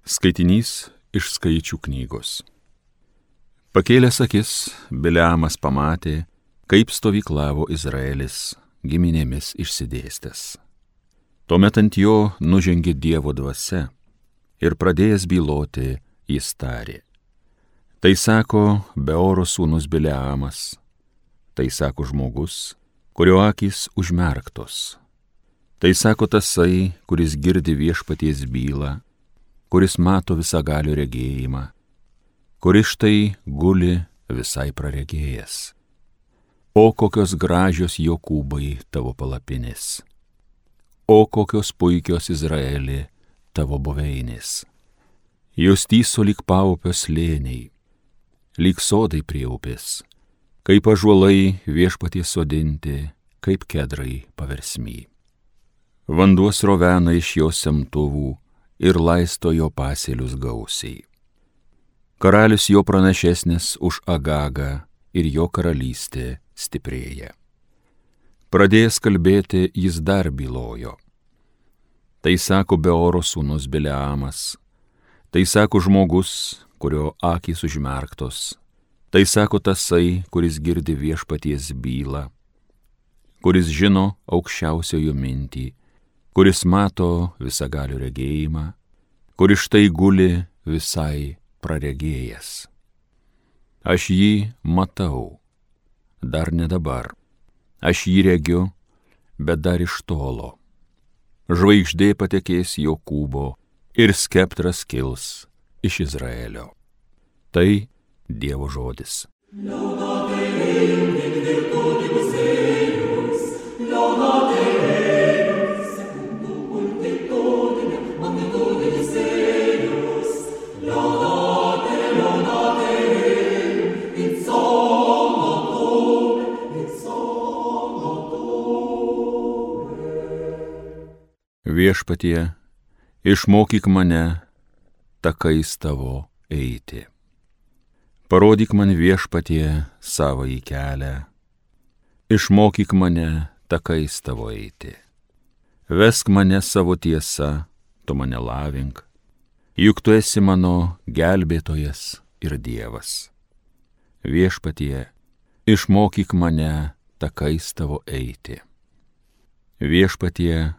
Skaitinys iš Skaičių knygos. Pakėlęs akis, Bileamas pamatė, kaip stovyklavo Izraelis giminėmis išsidėstęs. Tuomet ant jo nužengė Dievo dvasia ir pradėjęs byloti, jis tarė. Tai sako Beoro sūnus Bileamas, tai sako žmogus, kurio akys užmerktos. Tai sako tasai, kuris girdi viešpaties bylą, kuris mato visagalio regėjimą, kuris štai guli visai praregėjęs. O kokios gražios Jokūbai tavo palapinės, o kokios puikios Izraeli tavo buveinės. Jos tyso lyg paupio slėniai, lyg sodai prie upės, kaip ąžuolai viešpaties sodinti, kaip kedrai paversmy. Vanduo srovena iš jo semtuvų ir laisto jo pasėlius gausiai. Karalius jo pranašesnis už Agagą ir jo karalystė stiprėja. Pradėjęs kalbėti, jis dar bylojo. Tai sako Beoro sūnus Bileamas, tai sako žmogus, kurio akys užmerktos, tai sako tasai, kuris girdi viešpaties bylą, kuris žino aukščiausiojo mintį, kuris mato visagalio regėjimą, kuris štai guli visai praregėjęs. Aš jį matau, dar ne dabar, aš jį regiu, bet dar iš tolo. Žvaigždė patekės Jokūbo ir skeptras kils iš Izraelio. Tai Dievo žodis. Viešpatie, išmokyk mane takais tavo eiti. Parodyk man, Viešpatie, savąjį kelią. Išmokyk mane takais tavo eiti. Vesk mane savo tiesa, tu mane lavink, juk tu esi mano gelbėtojas ir Dievas. Viešpatie, išmokyk mane takais tavo eiti. Viešpatie,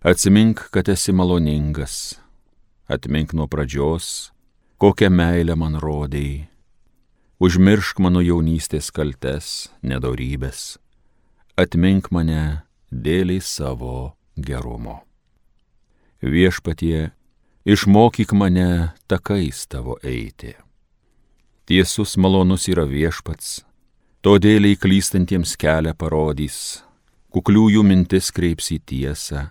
atsimink, kad esi maloningas, atmink nuo pradžios, kokią meilę man rodei, užmiršk mano jaunystės kaltes, nedorybės, atmink mane dėliai savo gerumo. Viešpatie, išmokyk mane takais tavo eiti. Tiesus malonus yra Viešpats, todėl klystantiems kelią parodys, kukliųjų mintis kreips į tiesą,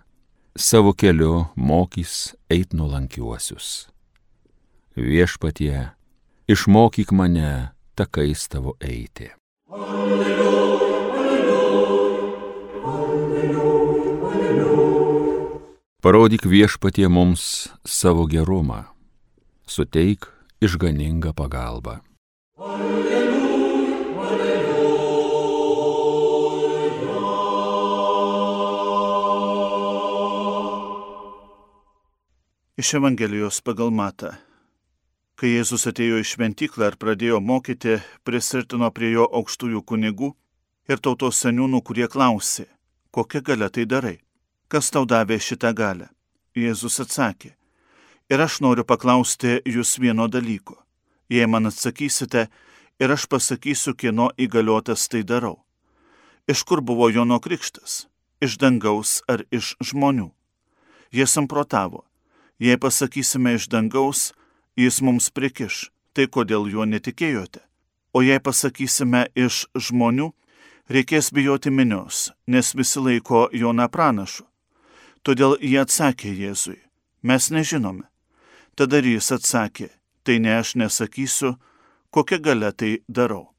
savo keliu mokys eit nuolankiuosius. Viešpatie, išmokyk mane takais tavo eiti. Alleluja, alleluja, alleluja, alleluja. Parodyk, Viešpatie, mums savo gerumą, suteik išganingą pagalbą. Alleluja, alleluja. Iš Evangelijos pagal Matą. Kai Jėzus atėjo į šventyklą ir pradėjo mokyti, prisirtino prie jo aukštųjų kunigų ir tautos seniūnų, kurie klausė, kokia galia tai darai, kas tau davė šitą galią. Jėzus atsakė, ir aš noriu paklausti jūs vieno dalyko. Jei man atsakysite, ir aš pasakysiu, kieno įgaliotas tai darau. Iš kur buvo Jono krikštas? Iš dangaus ar iš žmonių? Jie samprotavo. Jei pasakysime iš dangaus, jis mums prikiš, tai kodėl juo netikėjote? O jei pasakysime iš žmonių, reikės bijoti minios, nes visi laiko Joną pranašu. Todėl jie atsakė Jėzui, mes nežinome. Tada jis atsakė, tai ne aš nesakysiu, kokia galia tai darau.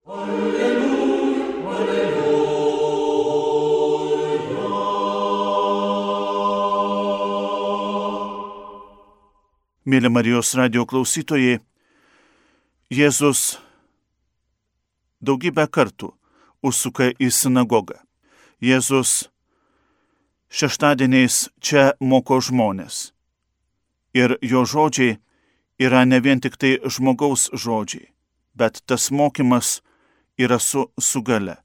Alleluja, alleluja. Mėly Marijos radijo klausytojai, Jėzus daugybę kartų užsuka į sinagogą. Jėzus šeštadieniais čia moko žmonės. Ir jo žodžiai yra ne vien tik tai žmogaus žodžiai, bet tas mokymas yra su gale.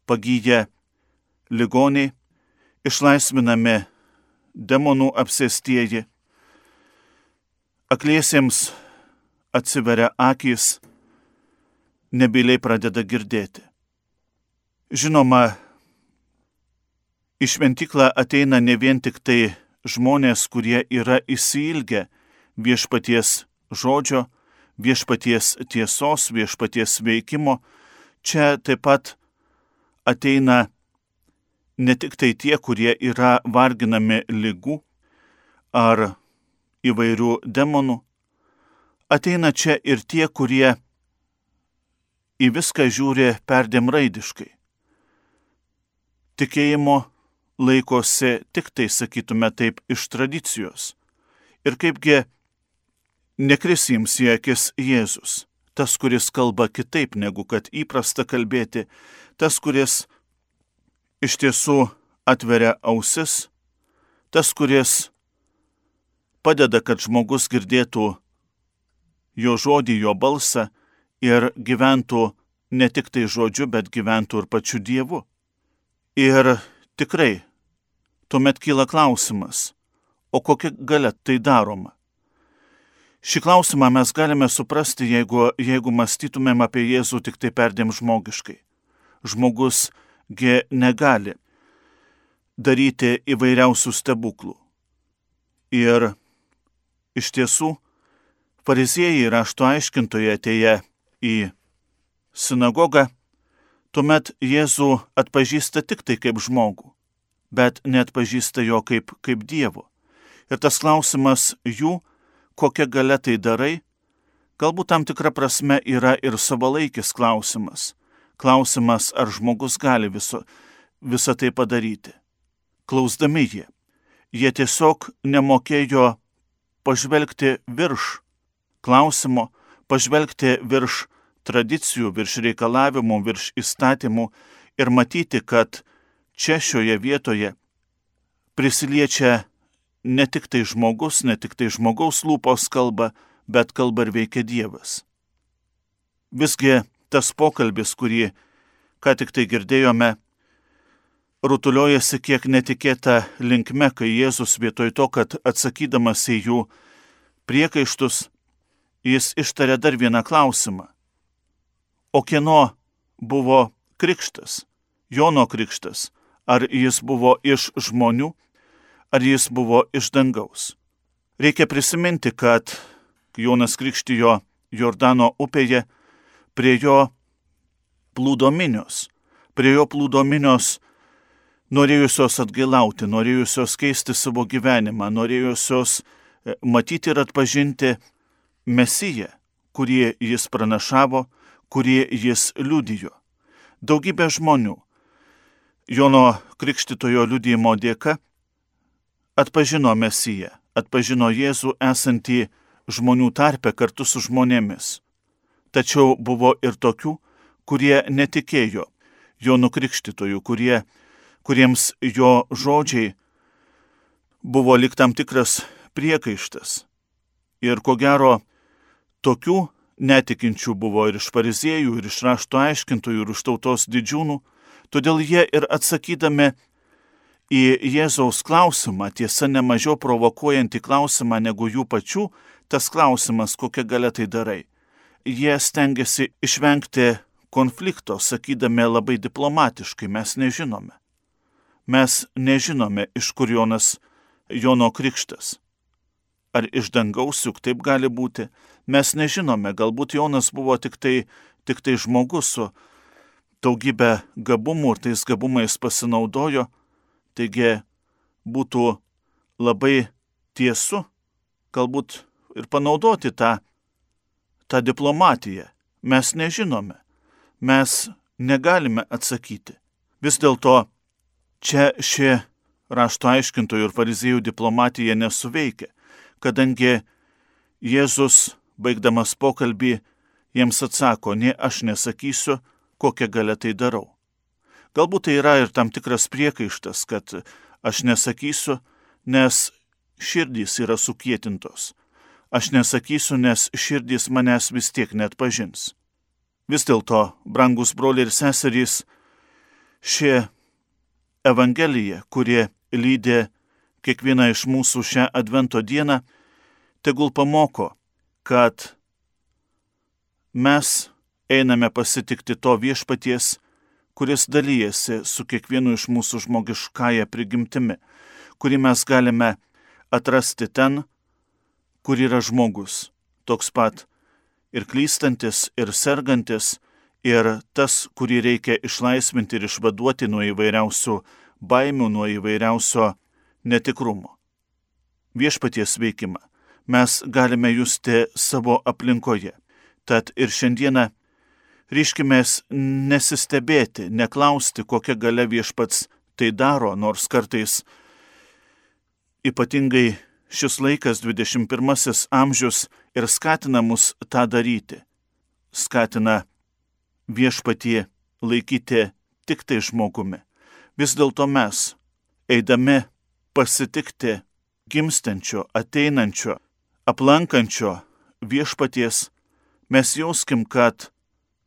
Pagyję ligoniai, išlaisvinami demonų apsėstieji, akliesiems atsiveria akys, nebyliai pradeda girdėti. Žinoma, į šventyklą ateina ne vien tik tai žmonės, kurie yra išsiilgę viešpaties žodžio, viešpaties tiesos, viešpaties veikimo. Čia taip pat ateina ne tik tai tie, kurie yra varginami ligų ar įvairių demonų. Ateina čia ir tie, kurie į viską žiūri perdėm raidiškai. Tikėjimo laikosi tik tai, sakytume taip, iš tradicijos. Ir kaipgi nekris jiems į akis Jėzus, tas, kuris kalba kitaip negu kad įprasta kalbėti, tas, kuris iš tiesų atveria ausis, tas, kuris padeda, kad žmogus girdėtų jo žodį, jo balsą ir gyventų ne tik tai žodžiu, bet gyventų ir pačiu Dievu. Ir tikrai, tuomet kyla klausimas, o kokia galia tai daroma? Šį klausimą mes galime suprasti, jeigu mąstytumėm apie Jėzų tik tai perdėm žmogiškai. Žmogusgi negali daryti įvairiausių stebuklų. Ir iš tiesų, fariziejai rašto aiškintojai atėję į sinagogą, tuomet Jėzų atpažįsta tik tai kaip žmogų, bet neatpažįsta jo kaip Dievo. Ir tas klausimas jų, kokia galia tai darai, galbūt tam tikra prasme yra ir savalaikis klausimas. Klausimas, ar žmogus gali visą tai padaryti. Klausdami jie tiesiog nemokėjo pažvelgti virš klausimo, pažvelgti virš tradicijų, virš reikalavimų, virš įstatymų ir matyti, kad čia šioje vietoje prisiliečia ne tik tai žmogus, ne tik tai žmogaus lūpos kalba, bet kalba ir veikia Dievas. Visgi tas pokalbis, kurį ką tik tai girdėjome, rutuliojasi kiek netikėta linkme, kai Jėzus vietoj to, kad atsakydamas į jų priekaištus, jis ištarė dar vieną klausimą. O kieno buvo krikštas? Jono krikštas. Ar jis buvo iš žmonių, ar jis buvo iš dangaus? Reikia prisiminti, kad Jonas krikštijo Jordano upėje, prie jo plūdo minios. Prie jo plūdo minios norėjusios atgailauti, norėjusios keisti savo gyvenimą, norėjusios matyti ir atpažinti Mesiją, kurį jis pranašavo, kurį jis liudijo. Daugybė žmonių Jono krikštitojo liudijimo dėka atpažino Mesiją, atpažino Jėzų esantį žmonių tarpe kartu su žmonėmis. Tačiau buvo ir tokių, kurie netikėjo Jonu krikštytoju, kuriems jo žodžiai buvo lyg tam tikras priekaištas. Ir ko gero, tokių netikinčių buvo ir iš fariziejų, ir iš rašto aiškintojų, ir iš tautos didžiūnų, todėl jie ir atsakydami į Jėzaus klausimą, tiesa ne mažiau provokuojantį klausimą negu jų pačių, tas klausimas, kokia galia tai darai. Jie stengiasi išvengti konflikto, sakydami labai diplomatiškai, mes nežinome. Mes nežinome, iš kur Jono krikštas. Ar iš dangaus, juk taip gali būti. Mes nežinome, galbūt Jonas buvo tik tai žmogus su daugybė gabumų ir tais gabumais pasinaudojo. Taigi būtų labai tiesu, galbūt ir panaudoti tą diplomatiją. Mes nežinome. Mes negalime atsakyti. Vis dėlto čia ši rašto aiškintojų ir fariziejų diplomatija nesuveikia, kadangi Jėzus, baigdamas pokalbį, jiems atsako, ne aš nesakysiu, kokią galia tai darau. Galbūt tai yra ir tam tikras priekaištas, kad aš nesakysiu, nes širdys yra sukietintos. Aš nesakysiu, nes širdys manęs vis tiek net pažins. Vis dėlto, brangus broliai ir seserys, ši Evangelija, kurie lydė kiekvieną iš mūsų šią Advento dieną, tegul pamoko, kad mes einame pasitikti to viešpaties, kuris dalyjasi su kiekvienu iš mūsų žmogiškąja prigimtimi, kurį mes galime atrasti ten, kur yra žmogus, toks pat ir klystantis, ir sergantis, ir tas, kurį reikia išlaisvinti ir išvaduoti nuo įvairiausių baimių, nuo įvairiausio netikrumo. Viešpaties veikimą mes galime justi savo aplinkoje. Tad ir šiandieną ryškimės nesistebėti, neklausti, kokia galia viešpats tai daro, nors kartais ypatingai šis laikas, 21 amžius, ir skatina mus tą daryti. Skatina viešpatie laikyti tik tai žmogumi. Vis dėlto mes, eidami pasitikti gimstančio, ateinančio, aplankančio viešpaties, mes jauskim, kad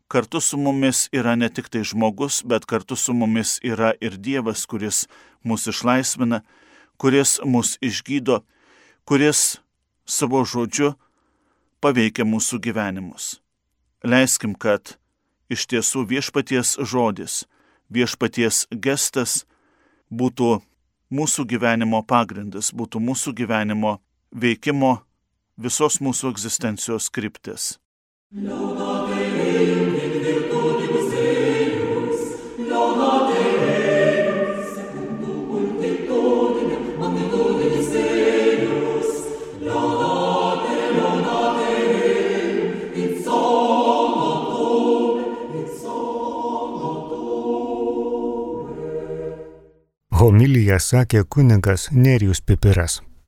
kartu su mumis yra ne tik tai žmogus, bet kartu su mumis yra ir Dievas, kuris mus išlaisvina, kuris mus išgydo, kuris savo žodžiu paveikia mūsų gyvenimus. Leiskim, kad iš tiesų viešpaties žodis, viešpaties gestas būtų mūsų gyvenimo pagrindas, būtų mūsų gyvenimo veikimo, visos mūsų egzistencijos kryptis. Homiliją sakė kunigas Nerijus Pipiras.